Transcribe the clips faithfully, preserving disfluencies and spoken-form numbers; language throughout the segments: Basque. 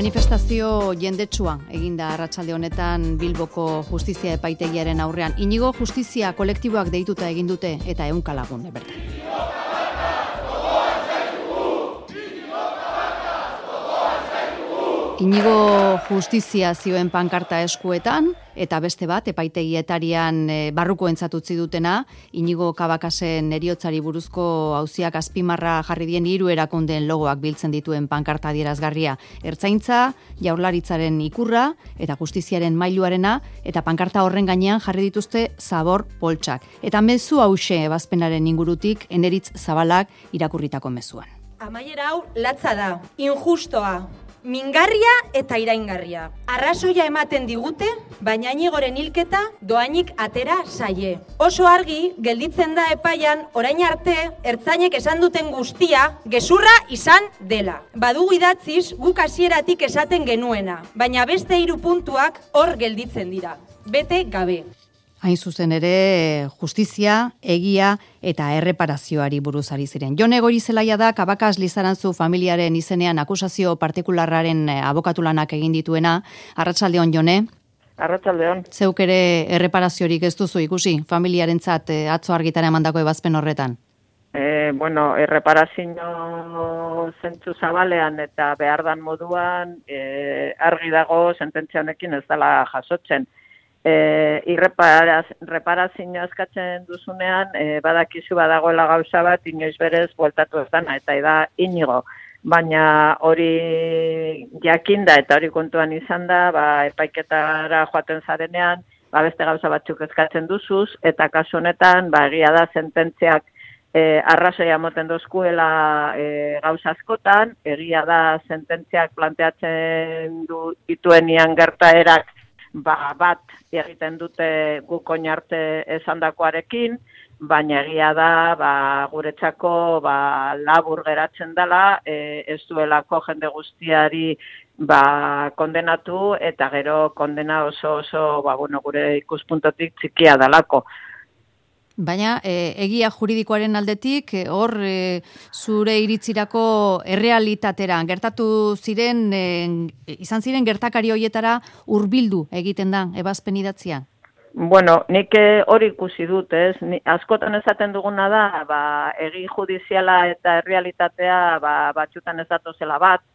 Manifestazio jendetsua eginda arratsalde honetan Bilboko justizia epaitegiaren aurrean. Inigo justizia kolektiboak deituta egin dute eta ehunka lagun bertan. Inigo justizia zioen pankarta eskuetan, eta beste bat, epaitegietarian e, barruko entzatutzi dutena, Inigo Kabakasen heriotzari buruzko auziak azpimarra jarri dien hiru erakundeen logoak biltzen dituen pankarta adierazgarria. Ertzaintza, Jaurlaritzaren ikurra, eta justiziaren mailuarena, eta pankarta horren gainean jarri dituzte zabor poltsak. Eta mezu hause ebazpenaren ingurutik, Eneritz Zabalak irakurritako mezuan. Amaiera hau latza da, injustoa. Mingarria eta iraingarria. Arrazoia ematen digute, baina Inigoren hilketa doainik atera zaie. Oso argi gelditzen da epaian orain arte ertzainek esan duten guztia gezurra izan dela. Badugu idatziz guk hasieratik esaten genuena, baina beste hiru puntuak hor gelditzen dira. Bete gabe. Hain zuzen ere, justizia, egia eta erreparazioari buruz ari ziren. Jone Goirizelaia da Kabakas Lizarantzu familiaren izenean akusazio partikularraren abokatulanak egin dituena. Arratsaldeon, Jone. Arratsaldeon. Zeuk ere erreparaziorik ez duzu ikusi familiarentzat atzo argitara emandako ebazpen horretan? E, bueno, erreparazio zentzu zabalean eta behardan moduan e, argi dago sententzia honekin ez dela jasotzen. E, irreparazioa eskatzen duzunean, e, badakizu badagoela gauza bat, inoiz berez bueltatu ez dana, eta da Inigo. Baina hori jakinda eta hori kontuan izan da, ba, epaiketara joaten zarenean, ba, beste gauza batzuk eskatzen duzuz, eta kasu honetan, ba, egia da sententziak e, arrazoia moten dozkuela e, gauza askotan, egia da sententziak planteatzen du dituenian gertaerak, ba, bat egiten dute guk oin arte esandakoarekin, baina egia da ba, guretzako ba, labur geratzen dela, e, ez duelako jende guztiari ba, kondenatu eta gero kondena oso oso ba, bueno, gure ikuspuntotik txikia dalako. Baina e, egia juridikoaren aldetik, e, hor e, zure iritzirako errealitatera, gertatu ziren, e, izan ziren gertakari horietara hurbildu egiten da, ebazpen idatzia? Bueno, nik hori ikusi dut, ez? Ni, askotan esaten duguna da, ba, egi judiziala eta errealitatea ba, batxutan ez datozela bat,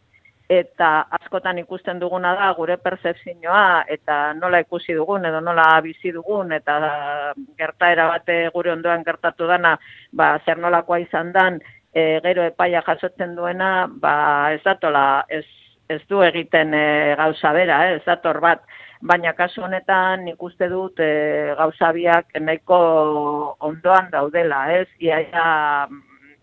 eta askotan ikusten duguna da gure percepzioa eta nola ikusi dugun edo nola bizi dugun eta gertaera bate gure ondoan gertatu dana, ba, zer nolakoa izan dan, e, gero epaia jasotzen duena, ba, ez datola, ez, ez du egiten e, gauza bera, eh, ez dator bat, baina kasu honetan ikuste dut e, gauza biak nahiko ondoan daudela, ez? Iaia,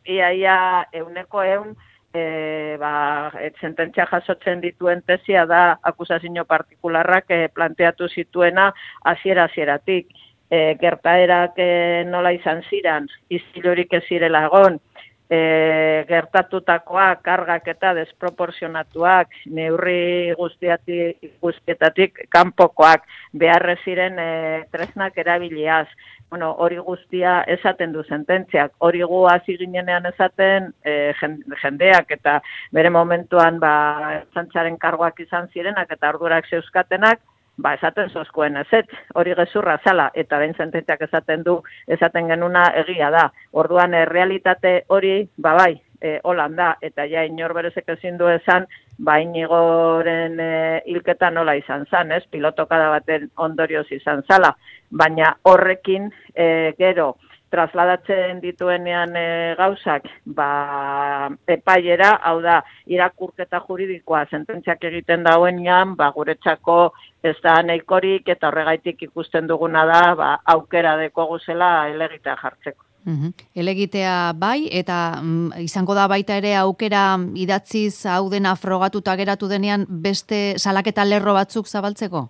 iaia euneko eun, E, ba, sententzia jasotzen dituen tesia da akusazio partikularrak e, planteatu zituena hasiera hasieratik. E, gertaerak e, nola izan ziren, istilurik ez zirela egon, e, gertatutakoak, kargak eta desproporzionatuak, neurri guztiatik, guztietatik kanpokoak, beharrez ziren e, tresnak erabiliaz. Bueno, hori guztia esaten du sententziak, hori gu hasi ginenean esaten e, jendeak eta bere momentuan ba, zantzaren kargoak izan zirenak eta ardurak zeuzkatenak, ba, esaten zozkoen ezetz, hori gezurra zala, eta behin sententziak esaten du, esaten genuna egia da. Orduan, e, realitate hori, ba bai, e, holan da, eta ja inor berezek ezin du esan, ba Inigoren e, hilketa nola izan zan, ez? Pilotokada baten ondorioz izan zala, baina horrekin e, gero trasladatzen dituenean e, gauzak ba, epaiera, hau da, irakurketa juridikoa sententziak egiten dauenean, ba, guretzako ez da nahikorik eta horregaitik ikusten duguna da ba, aukera deko guzela elegitea jartzeko. Uhum. Elegitea bai, eta mm, izango da baita ere aukera idatziz hau dena frogatuta geratu denean beste salaketa lerro batzuk zabaltzeko?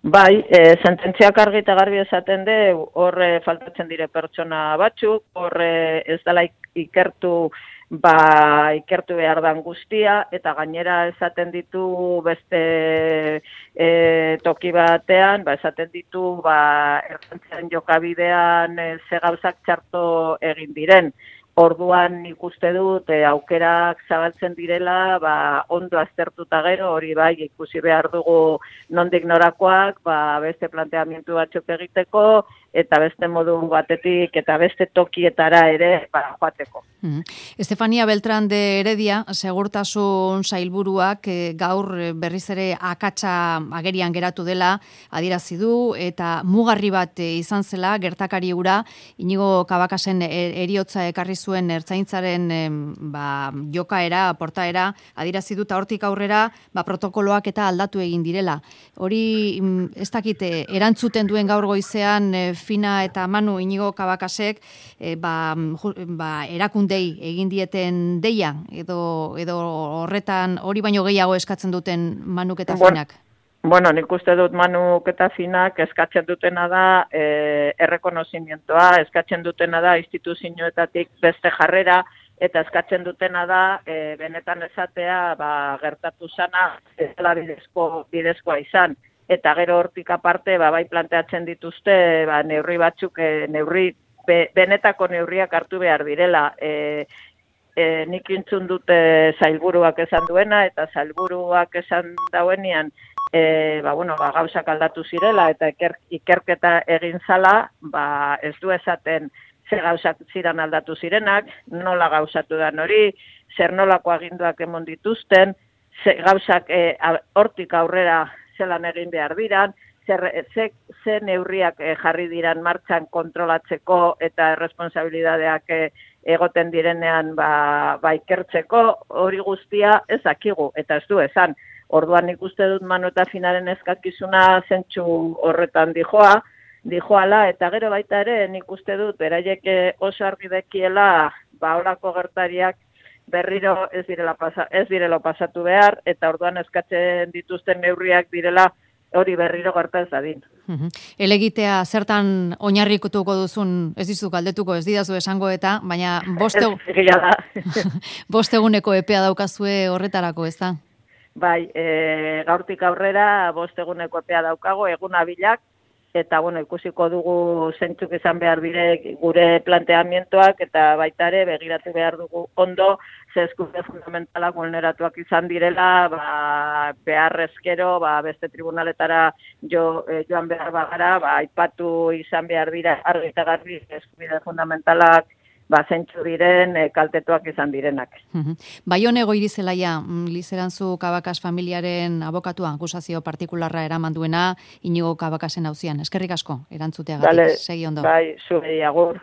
Bai, e, sententziak argi eta garbi esaten de, horre faltatzen dire pertsona batzuk, horre ez dela ikertu, ba, ikertu behar dan guztia, eta gainera esaten ditu beste e, toki batean, ba, esaten ditu ba, errantziaren jokabidean e, ze gauzak txarto egin diren. Orduan ikuste dut e, aukerak zabaltzen direla, ba, ondo aztertuta gero, hori bai ikusi behar dugu nondik norakoak, ba, beste planteamendu batzuk egiteko, eta beste modu batetik, eta beste tokietara ere ba, joateko. Mm. Estefania Beltrán de Heredia, segurtasun sailburuak e, gaur berriz ere akatsa agerian geratu dela adierazi du, eta mugarri bat e, izan zela gertakari hura, Inigo Cabacas-en heriotza ekarri zuen ertzaintzaren e, ba, jokaera, portaera, adierazi dut hortik aurrera ba, protokoloak eta aldatu egin direla. Hori ez dakite, erantzuten duen gaur goizean e, Fina eta Manu Inigo Cabacasek e, ba, ba, erakundei egin dieten deia, edo, edo horretan hori baino gehiago eskatzen duten Manuk eta Finak? Bueno, nik uste dut Manuk eta Finak eskatzen dutena da e, errekonozimientoa, eskatzen dutena da instituzioetatik beste jarrera, eta eskatzen dutena da e, benetan esatea ba, gertatu zana ez dela bidezko, bidezkoa izan. Eta gero hortik aparte, ba, bai planteatzen dituzte, ba, neurri batzuk, e, neurri, be, benetako neurriak hartu behar direla. E, e, nik intzun dute sailburuak esan duena, eta sailburuak esan dauenean, e, ba, bueno, ba, gauzak aldatu zirela, eta iker, ikerketa egin zala, ba, ez du esaten ze gauzak ziren aldatu zirenak, nola gauzatu da hori, zer nolako aginduak emon dituzten, ze gauzak e, hortik aurrera zelan egin behar diran, zer, ze, ze neurriak e, jarri diran martxan kontrolatzeko eta erresponsabilidadeak e, egoten direnean ba, ba ikertzeko, hori guztia ez dakigu, eta ez du esan. Orduan nik uste dut Manu eta Finaren eskakizuna zentsu horretan dijoa, dijoala, eta gero baita ere nik uste dut beraiek oso argi dekiela ba horako gertariak berriro ez direla, pasa, ez direla pasatu behar, eta orduan eskatzen dituzten neurriak direla hori berriro gerta ez dadin. Uh-huh. Elegitea zertan oinarrikutuko duzun, ez dizu galdetuko, ez didazu esango eta, baina bost bost eguneko epea daukazue horretarako, ez da? Bai, e, gaurtik aurrera bost eguneko epea daukago, egun abilak, eta bueno, ikusiko dugu zentzuk izan behar bire gure planteamientoak, eta baita ere begiratu behar dugu ondo, ze eskubide fundamentalak vulneratuak izan direla, ba, beharrezkero, ba, beste tribunaletara jo, eh, joan behar bagara, ba, aipatu izan behar dira argi eta garbi eskubide fundamentalak ba, zentzu diren, e, kaltetuak izan direnak. Baione Goirizelaia, Lizerantzu Cabacas familiaren abokatua, akusazio partikularra eraman duena, Inigo Cabacasen auzian. Eskerrik asko, erantzuteagatik. Vale, segi ondo. Bai, zuei agur.